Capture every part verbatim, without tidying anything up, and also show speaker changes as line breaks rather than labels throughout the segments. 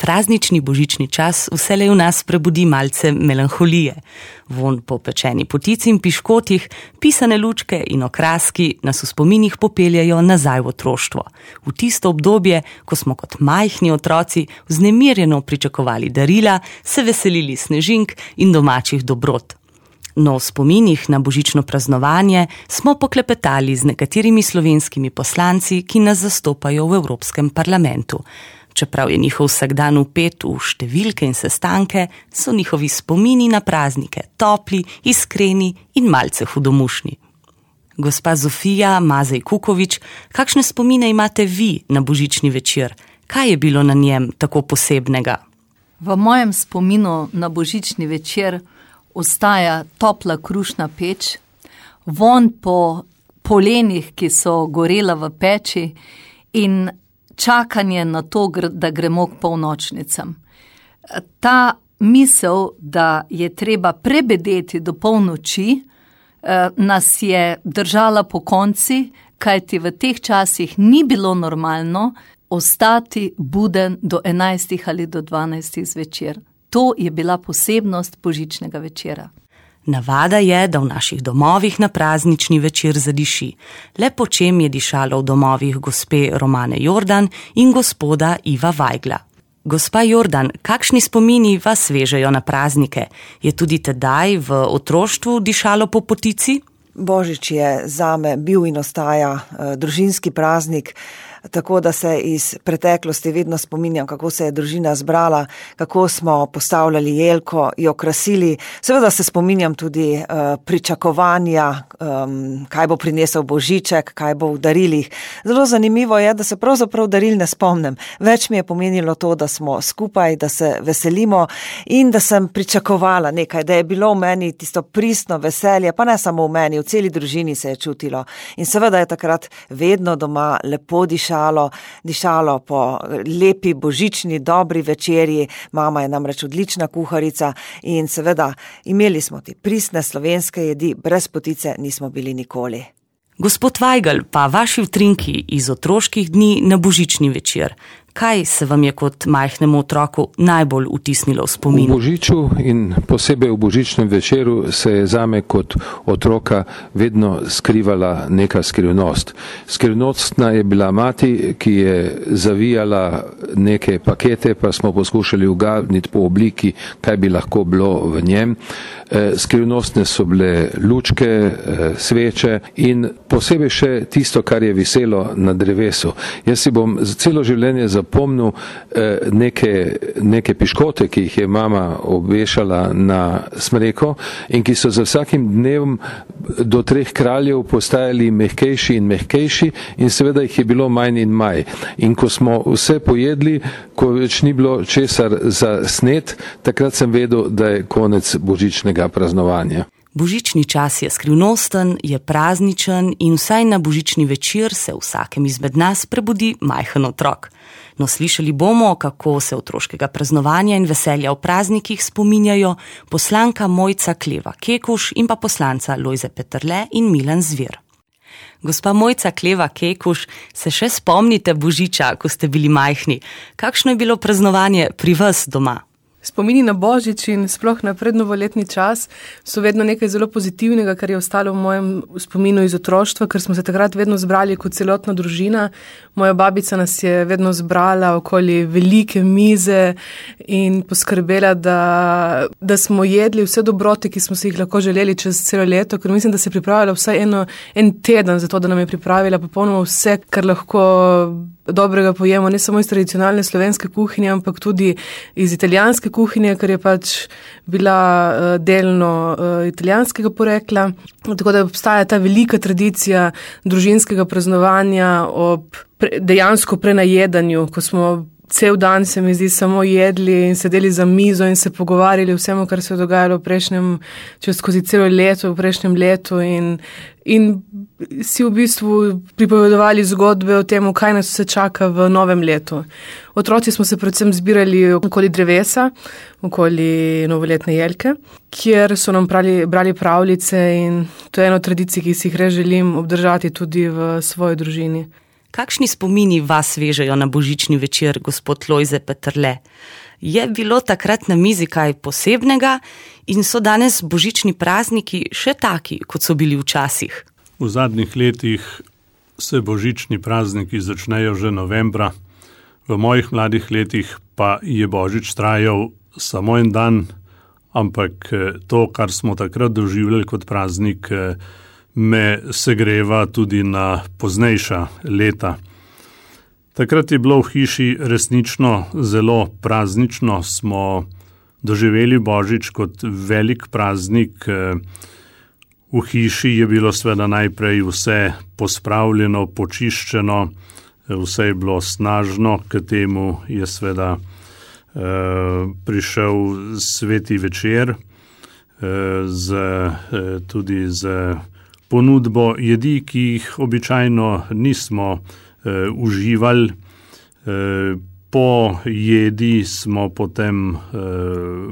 Praznični božični čas vselej v nas prebudi malce melanholije. Vonj po pečeni potici in piškotih, pisane lučke in okraski nas v spominih popeljajo nazaj v otroštvo. V tisto obdobje, ko smo kot majhni otroci vznemirjeno pričakovali darila, se veselili snežink in domačih dobrot. No, v spominih na božično praznovanje smo poklepetali z nekaterimi slovenskimi poslanci, ki nas zastopajo v Evropskem parlamentu. Čeprav je njihov vsakdan vpet v številke in sestanke, so njihovi spomini na praznike topli, iskreni in malce hudomušni. Gospa Zofija Mazej Kukovič, kakšne spomine imate vi na božični večer? Kaj je bilo na njem tako posebnega?
V mojem spominu na božični večer ostaja topla krušna peč, vonj po polenih, ki so gorela v peči, in čakanje na to, da gremo k polnočnicam. Ta misel, da je treba prebedeti do polnoči, nas je držala po konci, kajti v teh časih ni bilo normalno ostati buden do enajstih ali do dvanajstih zvečer. To je bila posebnost božičnega večera.
Navada je, da v naših domovih na praznični večer zadiši. Le po čem je dišalo v domovih gospe Romane Jordan in gospoda Iva Vajgla. Gospa Jordan, kakšni spomini vas vežejo na praznike? Je tudi tedaj v otroštvu dišalo po potici?
Božič je zame bil in ostaja uh, družinski praznik, tako da se iz preteklosti vedno spominjam, kako se je družina zbrala, kako smo postavljali jelko, jo krasili. Seveda se spominjam tudi uh, pričakovanja, um, kaj bo prinesel božiček, kaj bo v darilih. Zelo zanimivo je, da se pravzaprav daril ne spomnim. Več mi je pomenilo to, da smo skupaj, da se veselimo in da sem pričakovala nekaj, da je bilo v meni tisto pristno veselje, pa ne samo v meni, v celi družini se je čutilo. In seveda je takrat vedno doma lepo dišalo, dišalo po lepi božični dobri večerji. Mama je namreč odlična kuharica in seveda imeli smo ti pristne slovenske jedi, brez potice nismo bili nikoli.
Gospod Vajgl, pa vaši utrinki iz otroških dni na božični večer. Kaj se vam je kot majhnemu otroku najbolj vtisnilo v spomin?
V božiču in posebej v božičnem večeru se je zame kot otroka vedno skrivala neka skrivnost. Skrivnostna je bila mati, ki je zavijala neke pakete, pa smo poskušali ugadniti po obliki, kaj bi lahko bilo v njem. Skrivnostne so bile lučke, sveče in posebej še tisto, kar je viselo na drevesu. Jaz si bom celo življenje zapomnil neke, neke piškote, ki jih je mama obešala na smreko in ki so za vsakim dnevom do treh kraljev postajali mehkejši in mehkejši in seveda jih je bilo manj in manj. In ko smo vse pojedli, ko več ni bilo česar za snet, takrat sem vedel, da je konec božičnega praznovanja.
Božični čas je skrivnosten, je prazničen in vsaj na božični večer se vsakem izmed nas prebudi majhen otrok. No, slišali bomo, kako se otroškega praznovanja in veselja v praznikih spominjajo poslanka Mojca Kleva Kekuš in pa poslanca Lojze Peterle in Milan Zver. Gospa Mojca Kleva Kekuš, se še spomnite božiča, ko ste bili majhni? Kakšno je bilo praznovanje pri vas doma?
Spomini na božič in sploh na prednovoletni čas so vedno nekaj zelo pozitivnega, kar je ostalo v mojem spominu iz otroštva, ker smo se takrat vedno zbrali kot celotna družina. Moja babica nas je vedno zbrala okoli velike mize in poskrbela, da, da smo jedli vse dobrote, ki smo si jih lahko želeli čez celo leto, ker mislim, da se je pripravila vsaj eno, en teden za to, da nam je pripravila popolnoma vse, kar lahko dobrega pojemo, ne samo iz tradicionalne slovenske kuhinje, ampak tudi iz italijanske kuhinje, ker je pač bila uh, delno uh, italijanskega porekla. Tako da obstaja ta velika tradicija družinskega praznovanja ob pre, dejansko prenajedanju, ko smo cel dan, se mi zdi, samo jedli in sedeli za mizo in se pogovarjali vsemu, kar se je dogajalo v prejšnjem, čez skozi celo leto, v prejšnjem letu in, in si v bistvu pripovedovali zgodbe o tem, kaj nas vse čaka v novem letu. Otroci smo se predvsem zbirali okoli drevesa, okoli novoletne jelke, kjer so nam brali, brali pravljice in to je eno tradicij, ki si jih res želim obdržati tudi v svoji družini.
Kakšni spomini vas vežejo na božični večer, gospod Lojze Peterle? Je bilo takrat na mizi kaj posebnega in so danes božični prazniki še taki, kot so bili včasih?
V zadnjih letih se božični prazniki začnejo že novembra. V mojih mladih letih pa je božič trajal samo en dan, ampak to, kar smo takrat doživljali kot praznik, me segreva tudi na poznejša leta. Takrat je bilo v hiši resnično zelo praznično, smo doživeli božič kot velik praznik. V hiši je bilo seveda najprej vse pospravljeno, počiščeno, vse je bilo snažno, k temu je seveda eh, prišel sveti večer eh, z, eh, tudi z ponudbo jedi, ki jih običajno nismo Uh, uživali. Uh, po jedi smo potem uh,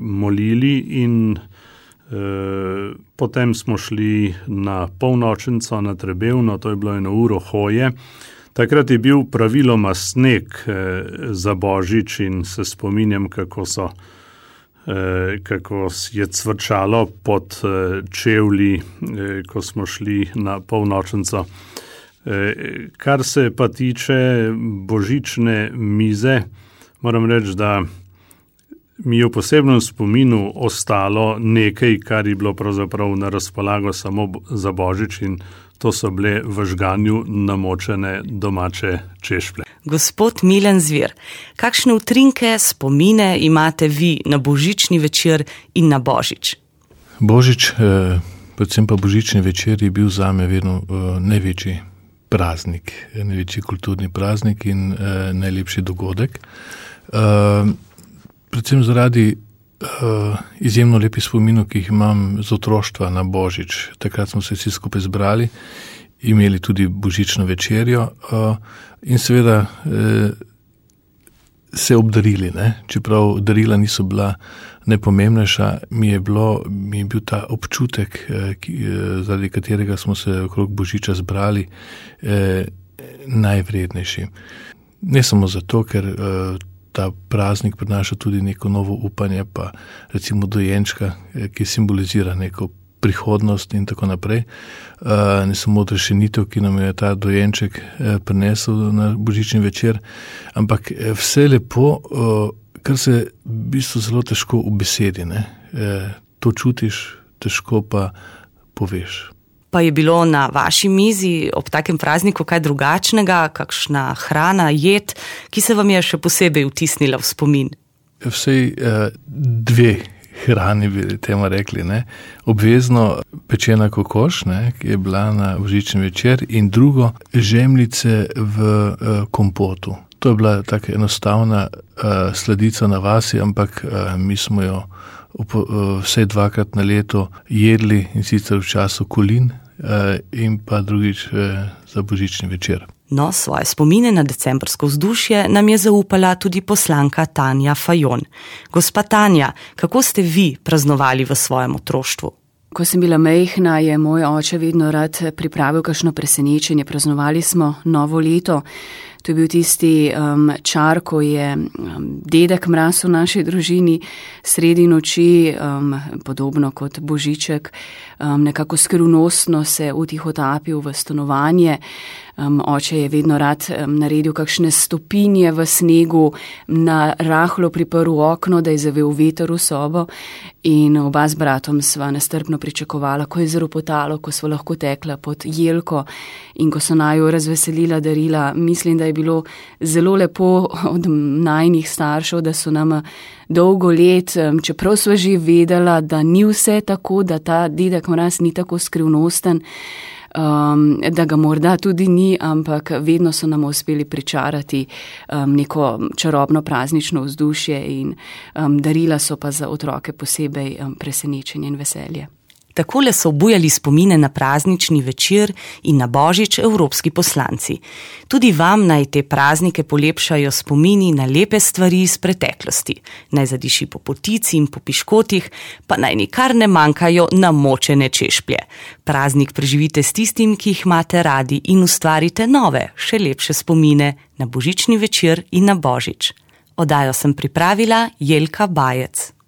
molili in uh, potem smo šli na polnočnico, na Trebevno, to je bilo eno uro hoje. Takrat je bil praviloma sneg uh, za božič in se spominjam, kako so uh, kako je cvrčalo pod uh, čevlji, uh, ko smo šli na polnočnico. Kar se pa tiče božične mize, moram reči, da mi je v posebnem spominu ostalo nekaj, kar je bilo pravzaprav na razpolago samo za božič, in to so bile v žganju namočene domače češplje.
Gospod Milan Zvir, kakšne utrinke, spomine imate vi na božični večer in na božič?
Božič, eh, predvsem pa božični večer je bil zame vedno eh, največji praznik, največji kulturni praznik in eh, najlepši dogodek. Eh, predvsem zaradi eh, izjemno lepih spominov, ki jih imam z otroštva na božič. Takrat smo se vsi skupaj zbrali, imeli tudi božično večerjo eh, in seveda eh, se obdarili, ne? Čeprav darila niso bila najpomembnejša, mi je, bilo, mi je bil ta občutek, ki, zaradi katerega smo se okrog božiča zbrali, eh, najvrednejši. Ne samo zato, ker eh, ta praznik prinaša tudi neko novo upanje, pa recimo dojenčka, eh, ki simbolizira neko prihodnost in tako naprej. Uh, ne samo odrešenitev, ki nam je ta dojenček eh, prinesel na božični večer, ampak vse lepo, uh, kar se v bistvu zelo težko v besedi, ne? Eh, to čutiš, težko pa poveš.
Pa je bilo na vaši mizi ob takem prazniku kaj drugačnega, kakšna hrana, jed, ki se vam je še posebej vtisnila v spomin?
Vsej eh, dve hrani bi temu rekli, ne. Obvezno pečena kokoš, ne, ki je bila na božični večer, in drugo žemljice v uh, kompotu. To je bila taka enostavna uh, sladica na vasi, ampak uh, mi smo jo up, uh, vse dvakrat na leto jedli, in sicer v času kolin uh, in pa drugič uh, za božični večer.
No, svoje spomine na decembrsko vzdušje nam je zaupala tudi poslanka Tanja Fajon. Gospa Tanja, kako ste vi praznovali v svojem otroštvu?
Ko sem bila majhna, je moj oče vedno rad pripravil kakšno presenečenje. Praznovali smo novo leto. To je bil tisti um, čar, ko je um, dedek Mraz v naši družini sredi noči, um, podobno kot Božiček, um, nekako skrivnostno se utihotapil v stanovanje. Um, oče je vedno rad um, naredil kakšne stopinje v snegu, na rahlo priprl okno, da je zavel veter v sobo, in oba z bratom sva nestrpno pričakovala, ko je zaropotalo, ko sva lahko tekla pod jelko in ko so naju razveselila darila. Mislim, da je bilo zelo lepo od najnih staršev, da so nam dolgo let, čeprav sva že vedela, da ni vse tako, da ta dedek Mraz ni tako skrivnosten, Um, da ga morda tudi ni, ampak vedno so nam uspeli pričarati um, neko čarobno praznično vzdušje, in um, darila so pa za otroke posebej um, presenečenje in veselje.
Takole so obujali spomine na praznični večer in na božič evropski poslanci. Tudi vam naj te praznike polepšajo spomini na lepe stvari iz preteklosti. Naj zadiši po potici in po piškotih, pa naj nikar ne manjkajo namočene češplje. Praznik preživite s tistim, ki jih imate radi in ustvarite nove, še lepše spomine na božični večer in na božič. Oddajo sem pripravila Jelka Bajec.